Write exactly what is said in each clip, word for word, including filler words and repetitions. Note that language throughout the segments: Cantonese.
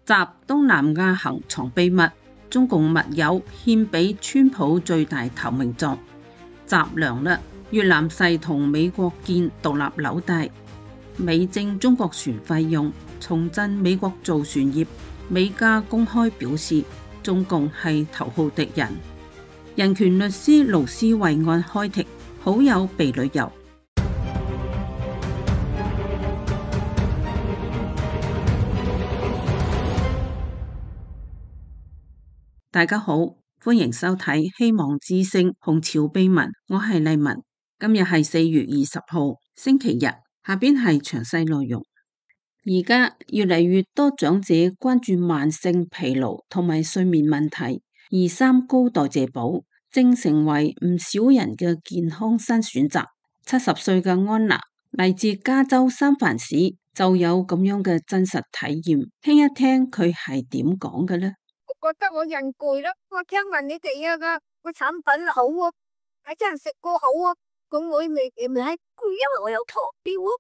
習東南亞行藏秘密，中共密友獻俾川普最大投名狀。習涼啦，越南誓同美國建獨立紐帶，美徵中國船費用，重振美國造船業。美加公開表示中共係頭號敵人。人權律師盧斯惠案開庭，好友被旅遊。大家好，歡迎收睇希望之聲紅潮秘聞，我係麗文。今日係四月二十號星期日，下邊係詳細內容。而家越嚟越多長者關注慢性疲勞同埋睡眠問題，而三高代謝寶正成為唔少人嘅健康新選擇。七十歲嘅安娜嚟自加州三藩市，就有咁樣嘅真實體驗，聽一聽佢係點講嘅呢？覺得我人攰啦，我聽聞你哋啊個個產品好啊，係真係食過好啊，咁我咪咪係攰，因為我有糖尿啊。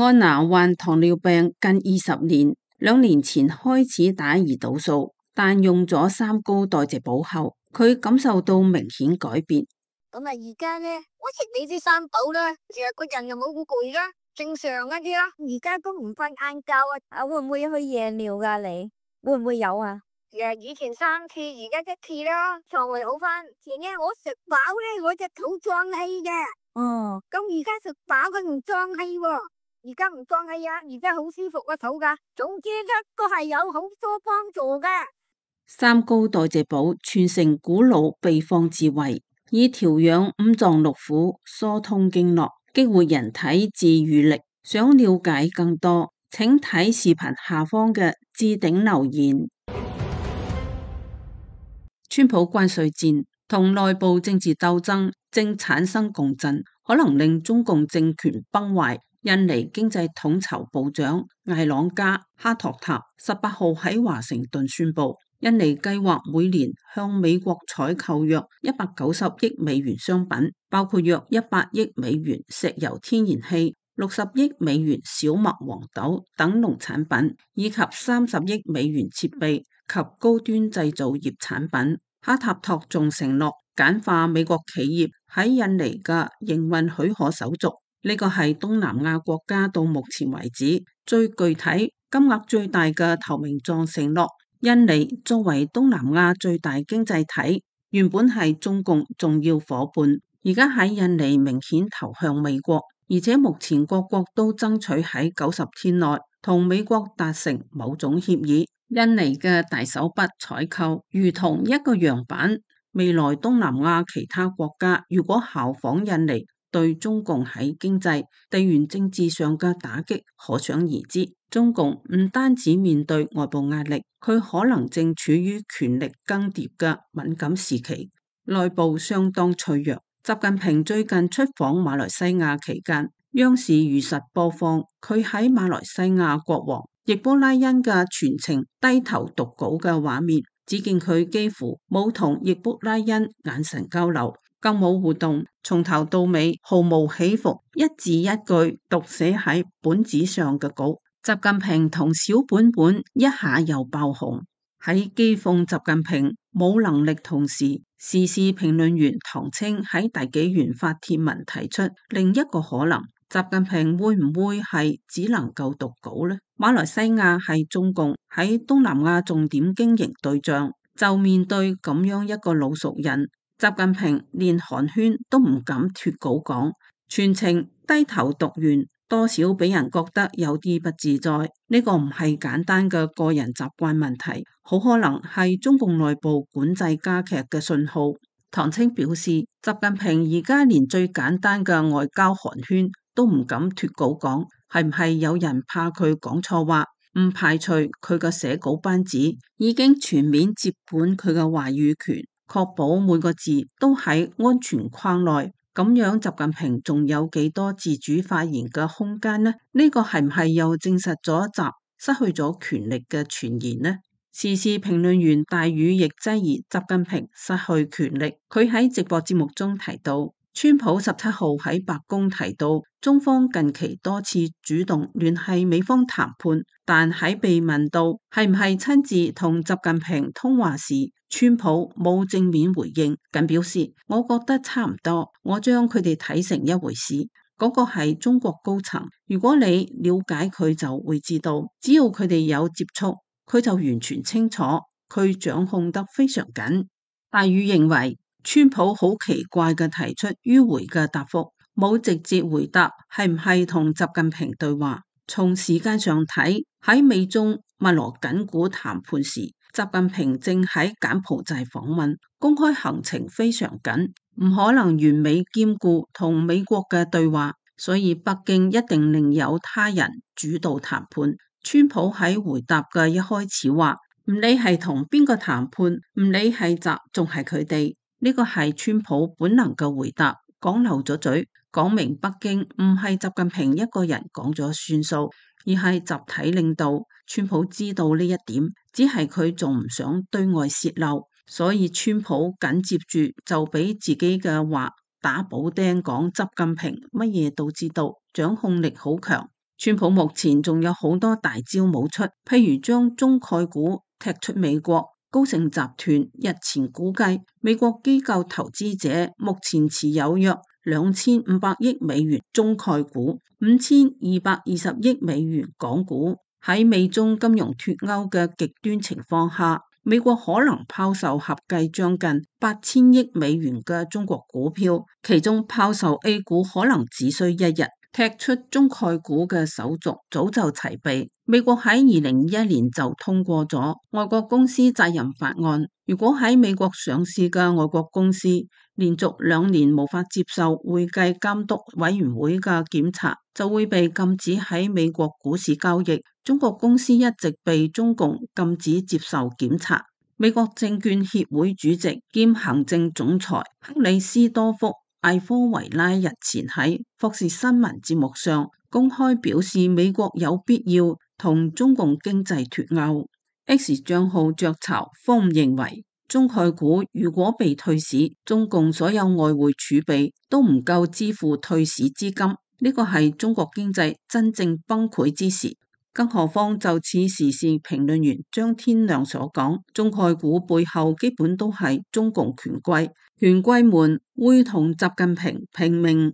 安娜患糖尿病近二十年，兩年前開始打胰島素，但用咗三高代謝寶後，佢感受到明顯改變。咁啊，而家咧，我食你啲三寶啦，成日個人又冇咁攰啦，正常一啲啦。而家都唔瞓晏覺啊，啊會唔會去夜尿噶？你會唔會有啊？誒，以前三次，而家一次啦，腸胃好翻。前日我食飽咧，我隻肚脹氣嘅。哦，咁而家食飽佢唔脹氣喎，而家唔脹氣啊，而家好舒服個肚噶。總之咧，都係有好多幫助嘅。三高代謝寶傳承古老秘方智慧，以調養五臟六腑、疏通經絡、激活人體自癒力。想了解更多，請睇視頻下方嘅置頂留言。川普關稅戰同內部政治鬥爭正產生共振，可能令中共政權崩壞。印尼經濟統籌部長艾朗加哈托塔十八號喺華盛頓宣布，印尼計劃每年向美國採購約一百九十億美元商品，包括約一百億美元石油天然氣、六十億美元小麥黃豆等農產品，以及三十億美元設備及高端製造業產品。哈塔托仲承諾簡化美國企業喺印尼嘅營運許可手續，呢個係東南亞國家到目前為止最具體、金額最大嘅投名狀承諾。印尼作為東南亞最大經濟體，原本係中共重要夥伴，而家喺印尼明顯投向美國，而且目前各國都爭取喺九十天內同美國達成某種協議。印尼嘅大手筆採購如同一個樣板，未來東南亞其他國家如果效仿印尼，對中共喺經濟、地緣政治上嘅打擊可想而知。中共唔單止面對外部壓力，佢可能正處於權力更迭嘅敏感時期，內部相當脆弱。習近平最近出訪馬來西亞期間，央視如實播放佢喺馬來西亞國王易卜拉欣嘅全程低頭讀稿嘅畫面，只見佢幾乎冇同易卜拉欣眼神交流，更冇互動，從頭到尾毫無起伏，一字一句讀寫喺本子上嘅稿。習近平同小本本一下又爆紅，喺譏諷習近平冇能力同時，時事評論員唐青喺第幾元發帖文提出另一個可能，習近平會唔會係只能夠讀稿呢？馬來西亞係中共喺東南亞重點經營對象，就面對咁樣一個老熟人，習近平連寒暄都唔敢脫稿講，全程低頭讀完，多少俾人覺得有啲不自在。呢個唔係簡單嘅個人習慣問題，好可能係中共內部管制加劇嘅信號。唐青表示，習近平而家連最簡單嘅外交寒暄都唔敢脫稿講，係唔係有人怕佢講錯話？唔排除佢嘅寫稿班子已經全面接管佢嘅話語權，確保每個字都喺安全框內。咁樣習近平仲有幾多自主發言嘅空間呢？呢個係唔係又證實咗習失去咗權力嘅傳言呢？時事評論員大宇亦質疑習近平失去權力。佢喺直播節目中提到，川普十七號喺白宮提到，中方近期多次主動聯繫美方談判，但喺被問到係唔係親自同習近平通話時，川普冇正面回應，僅表示我覺得差唔多，我將佢哋睇成一回事。嗰個係中國高層，如果你了解佢就會知道，只要佢哋有接觸，佢就完全清楚，佢掌控得非常緊。大宇認為，川普好奇怪嘅提出迂迴嘅答覆，冇直接回答係唔係同習近平對話。從時間上睇，喺美中密鑼緊鼓談判時，習近平正喺柬埔寨訪問，公開行程非常緊，唔可能完美兼顧同美國嘅對話，所以北京一定另有他人主導談判。川普喺回答嘅一開始話，唔理係同邊個談判，唔理係習仲係佢哋。呢個係川普本能嘅回答，講漏咗嘴，講明北京唔係習近平一個人講咗算數，而係集體領導。川普知道呢一點，只係佢仲唔想對外洩漏，所以川普緊接住就俾自己嘅話打補丁，講習近平乜嘢都知道，掌控力好強。川普目前仲有好多大招冇出，譬如將中概股踢出美國。高盛集團日前估計，美國機構投資者目前持有約兩千五百億美元中概股，五千二百二十億美元港股。喺美中金融脫鈎嘅極端情況下，美國可能拋售合計將近八千億美元嘅中國股票，其中拋售 A 股可能只需一日。踢出中概股嘅手續早就齊備，美國喺二零二一年就通過咗外國公司責任法案。如果喺美國上市嘅外國公司連續兩年無法接受會計監督委員會嘅檢查，就會被禁止喺美國股市交易。中國公司一直被中共禁止接受檢查。美國證券協會主席兼行政總裁克里斯多福艾科維拉日前喺霍士新聞節目上公開表示，美國有必要同中共經濟脫鈎。X 賬號雀巢方認為，中概股如果被退市，中共所有外匯儲備都唔夠支付退市資金，呢個係中國經濟真正崩潰之時。更何況就似時事評論員張天亮所講，中概股背後基本都係中共權貴，權貴們會同習近平拼命。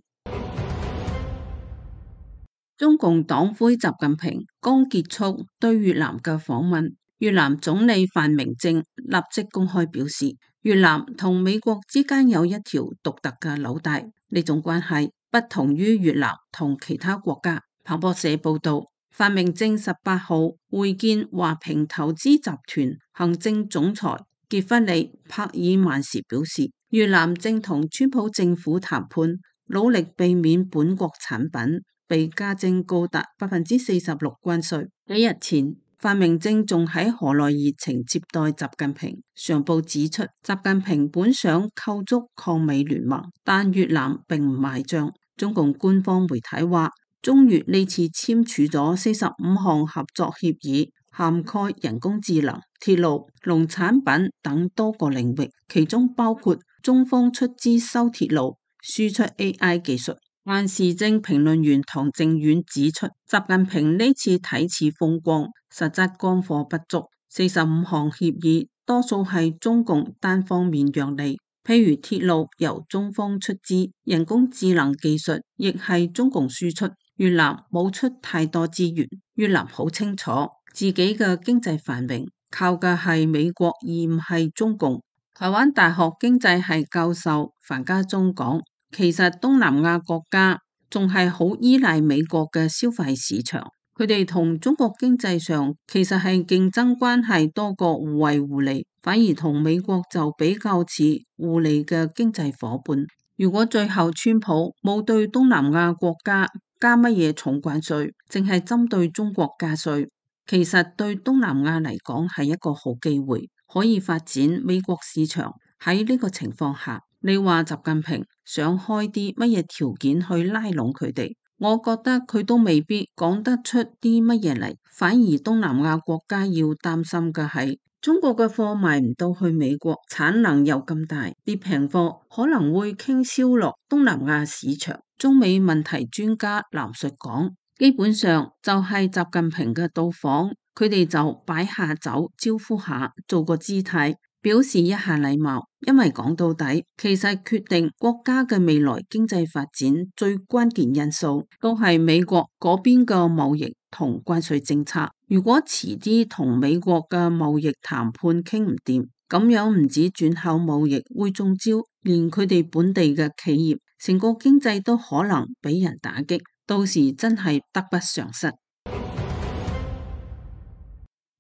中共黨魁習近平剛結束對越南嘅訪問，越南總理范明政立即公開表示，越南同美國之間有一條獨特嘅紐帶，呢種關係不同於越南同其他國家。彭博社報道，范明政十八號會見華平投資集團行政總裁傑弗里帕爾曼時表示，越南正同川普政府談判，努力避免本國產品被加徵高達百分之四十六關稅。幾日前，范明政仲喺河內熱情接待習近平。上報指出，習近平本想構築抗美聯盟，但越南並唔買賬。中共官方媒體話，中越呢次簽署咗四十五項合作協議，涵蓋人工智能、鐵路、農產品等多個領域，其中包括中方出資修鐵路、輸出 A I 技術。但時政評論員唐正遠指出，習近平呢次睇似風光，實質乾貨不足。四十五項協議多數係中共單方面讓利，譬如鐵路由中方出資，人工智能技術亦係中共輸出。越南冇出太多資源，越南好清楚自己嘅經濟繁榮靠嘅係美國而唔係中共。台灣大學經濟系教授樊家忠講，其實東南亞國家仲係好依賴美國嘅消費市場，佢哋同中國經濟上其實係競爭關係多過互惠互利，反而同美國就比較似互利嘅經濟夥伴。如果最後川普冇對東南亞國家加乜嘢重關稅，淨係針對中國加稅，其實對東南亞嚟講係一個好機會，可以發展美國市場。喺呢個情況下，你話習近平想開啲乜嘢條件去拉攏佢哋，我覺得佢都未必講得出啲乜嘢嚟。反而東南亞國家要擔心嘅係中國嘅貨賣唔到去美國，產能又咁大，啲平貨可能會傾銷落東南亞市場。中美問題專家藍述講，基本上就係習近平嘅到訪，佢哋就擺下酒招呼下，做個姿態，表示一下禮貌。因為講到底，其實決定國家嘅未來經濟發展最關鍵因素都係美國嗰邊嘅貿易同關稅政策。如果遲啲同美國嘅貿易談判傾唔掂，咁樣唔止轉口貿易會中招，連佢哋本地嘅企業，成個經濟都可能俾人打擊，到時真係得不償失。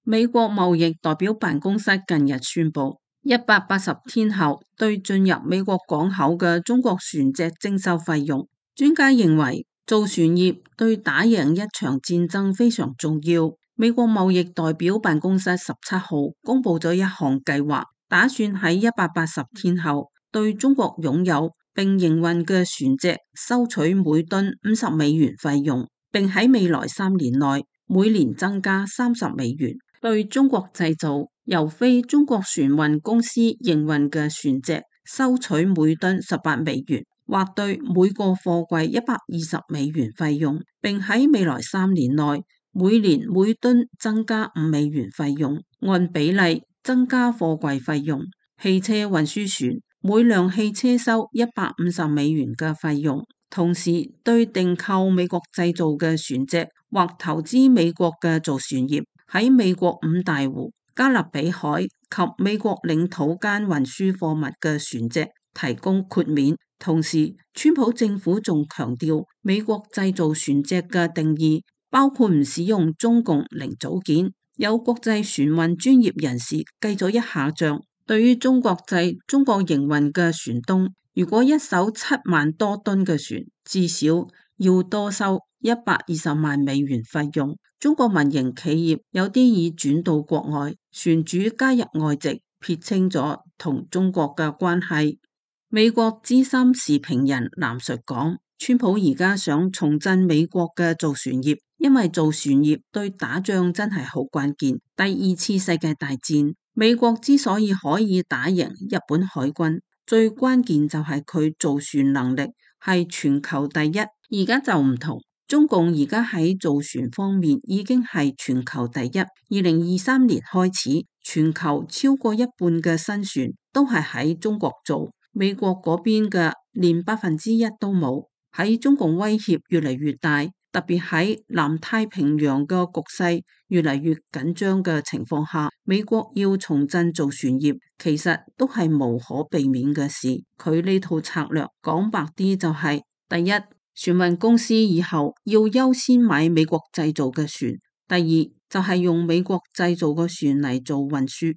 美國貿易代表辦公室近日宣布，一百八十天後對進入美國港口嘅中國船隻徵收費用。專家認為，造船業對打贏一場戰爭非常重要。美國貿易代表辦公室十七號公布咗一項計劃，打算喺一百八十天後對中國擁有並營運嘅船隻收取每噸五十美元費用，並喺未來三年內每年增加三十美元。對中國製造由非中國船運公司營運嘅船隻收取每噸十八美元，或對每個貨櫃一百二十美元費用，並喺未來三年內每年每噸增加五美元費用，按比例增加貨櫃費用。汽車運輸船每輛汽車收一百五十美元嘅費用，同時對訂購美國製造嘅船隻或投資美國嘅造船業喺美國五大湖、加勒比海及美國領土間運輸貨物嘅船隻提供豁免。同時，川普政府仲強調美國製造船隻嘅定義包括唔使用中共零組件。有國際船運專業人士計咗一下賬，對於中國製、中國營運嘅船東，如果一艘七萬多噸嘅船，至少要多收一百二十萬美元費用。中國民營企業有啲已轉到國外，船主加入外籍，撇清咗同中國嘅關係。美國資深時評人藍述講，川普而家想重振美國嘅造船業，因為造船業對打仗真係好關鍵。第二次世界大戰，美國之所以可以打贏日本海軍，最關鍵就係佢造船能力係全球第一。而家就唔同。中共而家喺造船方面已經係全球第一。二零二三年開始，全球超過一半嘅新船都係喺中國做，美國嗰邊嘅連百分之一都冇。喺中共威脅越嚟越大，特別喺南太平洋嘅局勢越嚟越緊張嘅情況下，美國要重振造船業，其實都係無可避免嘅事。佢呢套策略講白啲就係、是，第一，船運公司以後要優先買美國製造嘅船；第二就係、是、用美國製造嘅船嚟做運輸。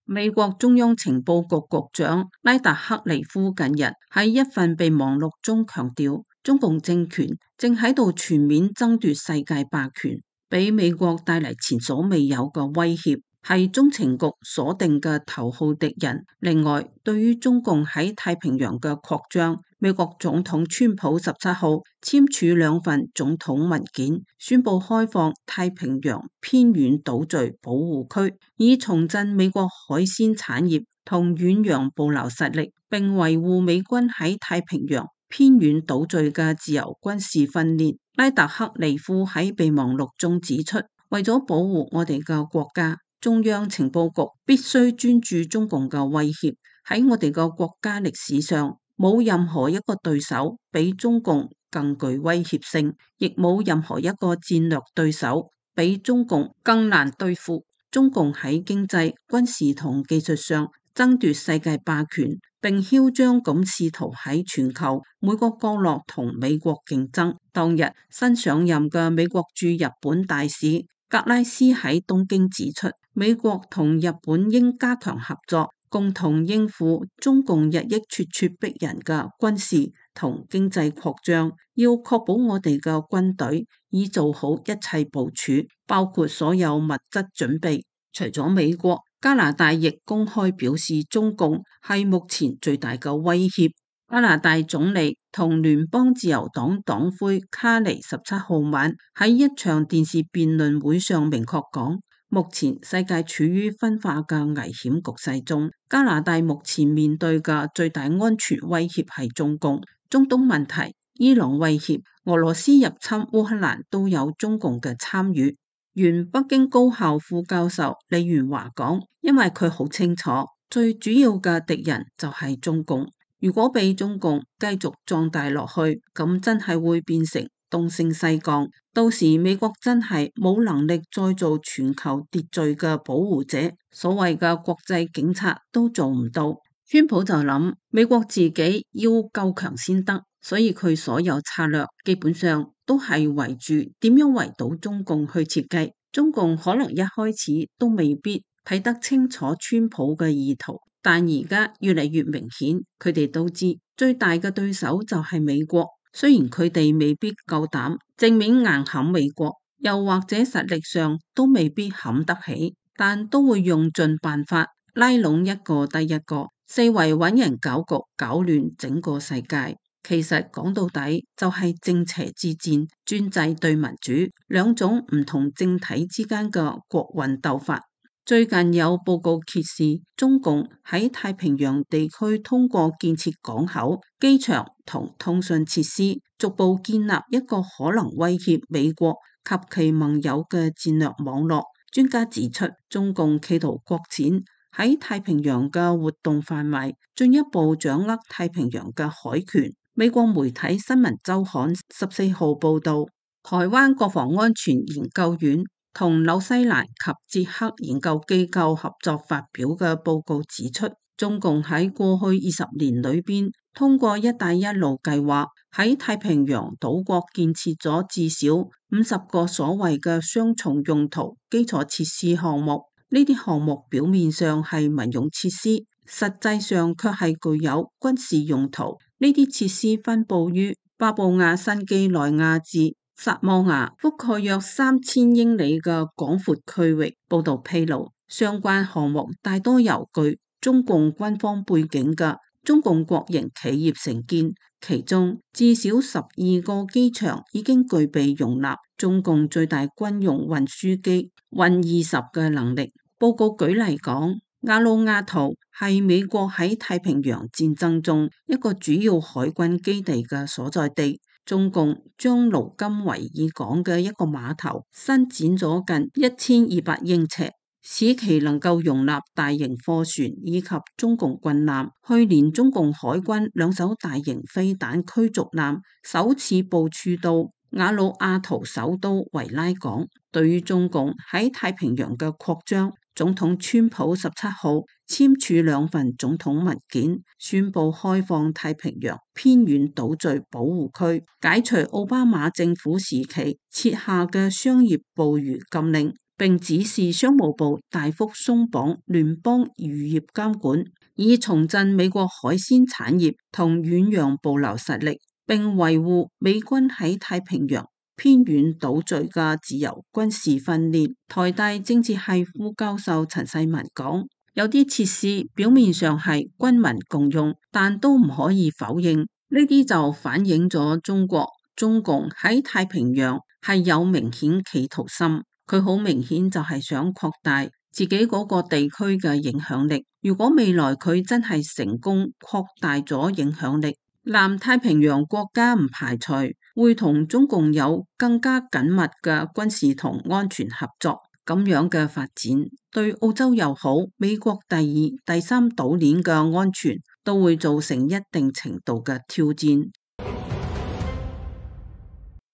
美國中央情報局局長拉達克利夫近日喺一份備忘錄中強調，中共政權正喺度全面爭奪世界霸權，俾美國帶嚟前所未有嘅威脅，係中情局鎖定嘅頭號敵人。另外，對於中共喺太平洋嘅擴張，美國總統川普十七號簽署兩份總統文件，宣布開放太平洋偏遠島嶼保護區，以重振美國海鮮產業同遠洋捕撈實力，並維護美軍喺太平洋偏遠島嶼嘅自由軍事訓練。拉達克利夫喺備忘錄中指出，為咗保護我哋嘅國家，中央情報局必須專注中共嘅威脅。喺我哋嘅國家歷史上，冇任何一個對手比中共更具威脅性，亦冇任何一個戰略對手比中共更難對付。中共喺經濟、軍事同技術上爭奪世界霸權，並囂張咁試圖喺全球每個角落同美國競爭。當日新上任嘅美國駐日本大使格拉斯喺東京指出，美國同日本應加強合作，共同應付中共日益咄咄逼人嘅軍事同經濟擴張，要確保我哋嘅軍隊已做好一切部署，包括所有物質準備。除咗美國，加拿大亦公開表示中共係目前最大嘅威脅。加拿大總理同聯邦自由黨黨魁卡尼十七號晚喺一場電視辯論會上明確講，目前世界處於分化嘅危險局勢中，加拿大目前面對嘅最大安全威脅係中共。中東問題、伊朗威脅、俄羅斯入侵烏克蘭都有中共嘅參與。原北京高校副教授李元華講，因為佢好清楚，最主要嘅敵人就係中共。如果俾中共繼續壯大落去，咁真係會變成東升西降，到時美國真係冇能力再做全球秩序嘅保護者，所謂嘅國際警察都做唔到。川普就諗美國自己要夠強先得，所以佢所有策略基本上都係圍住點樣圍堵中共去設計。中共可能一開始都未必睇得清楚川普嘅意圖，但而家越嚟越明顯，佢哋都知最大嘅對手就係美國。雖然佢哋未必夠膽正面硬撼美國，又或者實力上都未必撼得起，但都會用盡辦法拉攏一個低一個，四圍揾人搞局，搞亂整個世界。其實講到底就係正邪之戰，專制對民主，兩種唔同政體之間嘅國運鬥法。最近有報告揭示，中共喺太平洋地區通過建設港口、機場同通訊設施，逐步建立一個可能威脅美國及其盟友嘅戰略網絡。專家指出，中共企圖擴展喺太平洋嘅活動範圍，進一步掌握太平洋嘅海權。美國媒體新聞週刊十四號報道，台灣國防安全研究院同紐西蘭及捷克研究機構合作發表嘅報告指出，中共喺過去二十年裏邊，通過一帶一路計劃喺太平洋島國建設咗至少五十個所謂嘅雙重用途基礎設施項目。呢啲項目表面上係民用設施，實際上卻係具有軍事用途。呢啲設施分佈於巴布亞新幾內亞至薩摩亞，覆蓋約三千英里嘅廣闊區域。報道披露，相關項目大多由具中共軍方背景嘅中共國營企業承建，其中至少十二個機場已經具備容納中共最大軍用運輸機運二十嘅能力。報告舉例講，亞魯亞圖係美國喺太平洋戰爭中一個主要海軍基地嘅所在地。中共將盧金維爾港嘅一個碼頭伸展咗近一千二百英尺，使其能夠容納大型貨船以及中共軍艦。去年中共海軍兩艘大型飛彈驅逐艦首次部署到亞魯亞圖首都維拉港。對於中共喺太平洋嘅擴張，總統川普十七號簽署兩份總統文件，宣布開放太平洋偏遠島嶼保護區，解除奧巴馬政府時期設下嘅商業捕魚禁令，並指示商務部大幅鬆綁聯邦漁業監管，以重振美國海鮮產業同遠洋捕撈實力，並維護美軍喺太平洋偏遠島嶼嘅自由軍事訓練。台大政治系副教授陳世文講，有啲設施表面上係軍民共用，但都唔可以否認，呢啲就反映咗中國中共喺太平洋係有明顯企圖心。佢好明顯就係想擴大自己嗰個地區嘅影響力。如果未來佢真係成功擴大咗影響力，南太平洋國家唔排除會同中共有更加緊密嘅軍事同安全合作。咁樣嘅發展對澳洲又好，美國第二、第三島鏈嘅安全都會造成一定程度嘅挑戰。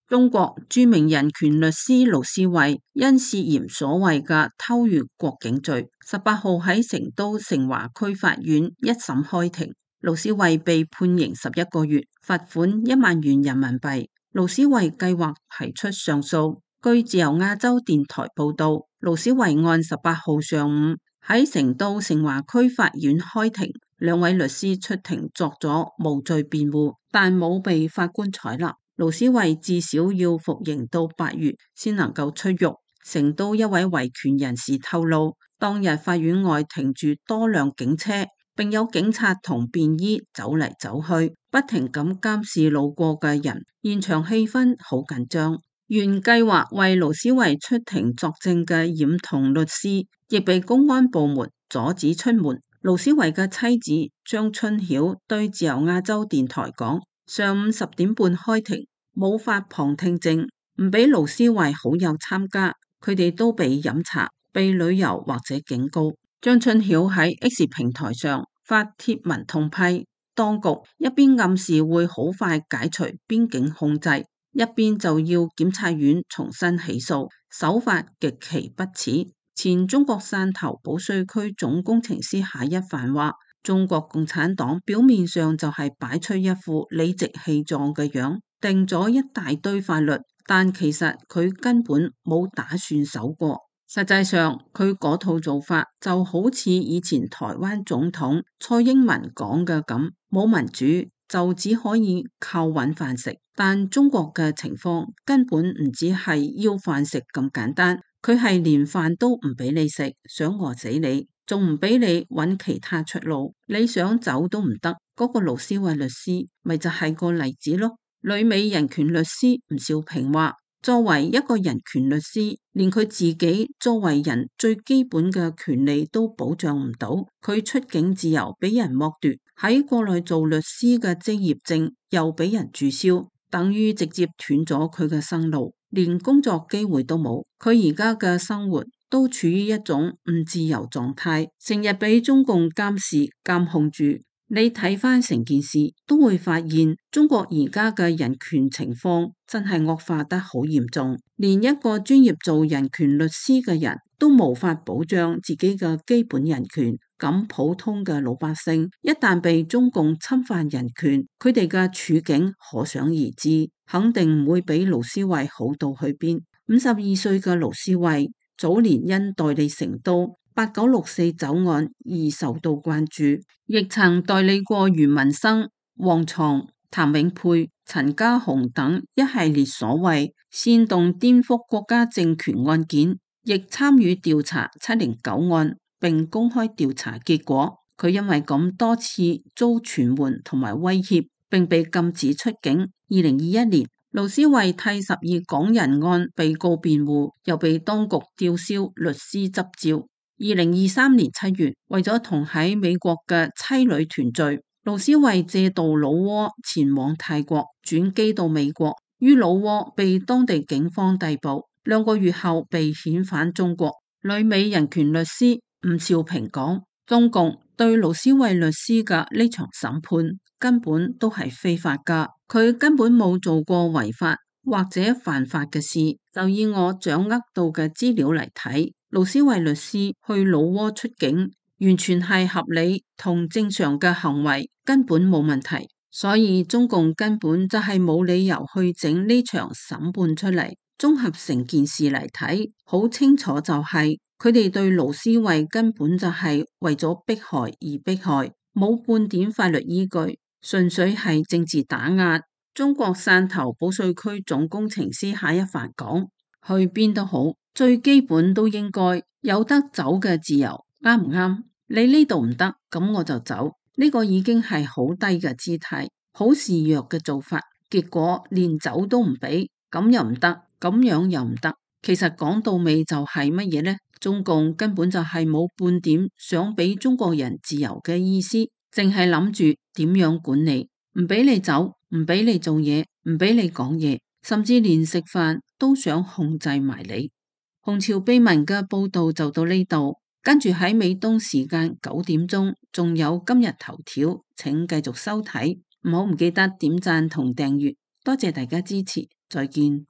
中國著名人權律師盧思位因涉嫌所謂嘅偷越國境罪，十八號喺成都成華區法院一審開庭。盧思位被判刑十一個月，罰款一萬元人民幣。盧思位計劃提出上訴。據自由亞洲電台報道，盧思位案十八號上午喺成都成華區法院開庭，兩位律師出庭作咗無罪辯護，但冇被法官採納。盧思位至少要服刑到八月先能夠出獄。成都一位維權人士透露，當日法院外停住多輛警車，並有警察同便衣走嚟走去，不停咁監視路過嘅人，現場氣氛好緊張。原計劃為盧思維出庭作證嘅染童律師，亦被公安部門阻止出門。盧思維嘅妻子張春曉對自由亞洲電台講：上午十點半開庭，冇發旁聽證，唔俾盧思維好友參加，佢哋都被飲茶、被旅遊或者警告。張春曉喺 X 平台上發帖文痛批當局，一邊暗示會好快解除邊境控制，一邊就要檢察院重新起訴，手法極其不恥。前中國汕頭保稅區總工程師夏一帆話：中國共產黨表面上就係擺出一副理直氣壯嘅樣，定咗一大堆法律，但其實佢根本冇打算守過。實際上，佢嗰套做法就好似以前台灣總統蔡英文講嘅咁，冇民主就只可以靠揾飯食。但中國嘅情況根本唔只係要飯食咁簡單，佢係連飯都唔俾你食，想餓死你，仲唔俾你揾其他出路，你想走都唔得。嗰、那個盧思維律師咪就係個例子咯。旅美人權律師吳兆平話：作為一個人權律師，連佢自己作為人最基本嘅權利都保障唔到，佢出境自由俾人剝奪，喺國內做律師嘅職業證又俾人註銷，等於直接斷咗佢嘅生路，連工作機會都冇。佢而家嘅生活都處於一種唔自由狀態，成日俾中共監視監控住。你睇翻成件事，都會發現中國而家嘅人權情況真係惡化得好嚴重，連一個專業做人權律師嘅人都無法保障自己嘅基本人權。咁普通嘅老百姓一旦被中共侵犯人權，佢哋嘅處境可想而知，肯定唔會比盧思維好到去邊。五十二歲嘅盧思維早年因代理成都八九六四走案而受到關注，亦曾代理過余文生、黃床、譚永佩、陳家雄等一系列所謂煽動顛覆國家政權案件，亦參與調查七零九案並公開調查結果。佢因為咁多次遭傳喚同埋威脅，並被禁止出境。二零二一年，盧思維替十二港人案被告辯護，又被當局吊銷律師執照。二零二三年七月，為咗同喺美國嘅妻女團聚，盧思維借渡老撾前往泰國，轉機到美國，於老撾被當地警方逮捕，兩個月後被遣返中國。旅美人權律師吳兆平講：中共對盧思維律師嘅呢場審判根本都係非法噶，佢根本冇做過違法或者犯法嘅事。就以我掌握到嘅資料嚟睇，盧思維律師去老撾出境完全係合理同正常嘅行為，根本冇問題。所以中共根本就係冇理由去整呢場審判出嚟。綜合成件事嚟睇，好清楚就係佢哋對盧思維根本就係為咗迫害而迫害，冇半點法律依據，純粹係政治打壓。中國汕頭保稅區總工程師夏一帆講：去邊都好，最基本都應該有得走嘅自由，啱唔啱？你呢度唔得，咁我就走。呢個已經係好低嘅姿態，好示弱嘅做法。結果連走都唔俾，咁又唔得，咁樣又唔得。其實講到尾就係乜嘢呢？中共根本就係冇半點想俾中國人自由嘅意思，淨係諗住點樣管理，唔俾你走，唔俾你做嘢，唔俾你講嘢，甚至連食飯都想控制埋你。紅潮秘聞嘅報道就到呢度，跟住喺美東時間九點鐘仲有今日頭條，請繼續收睇，唔好唔記得點讚同訂閱，多謝大家支持，再見。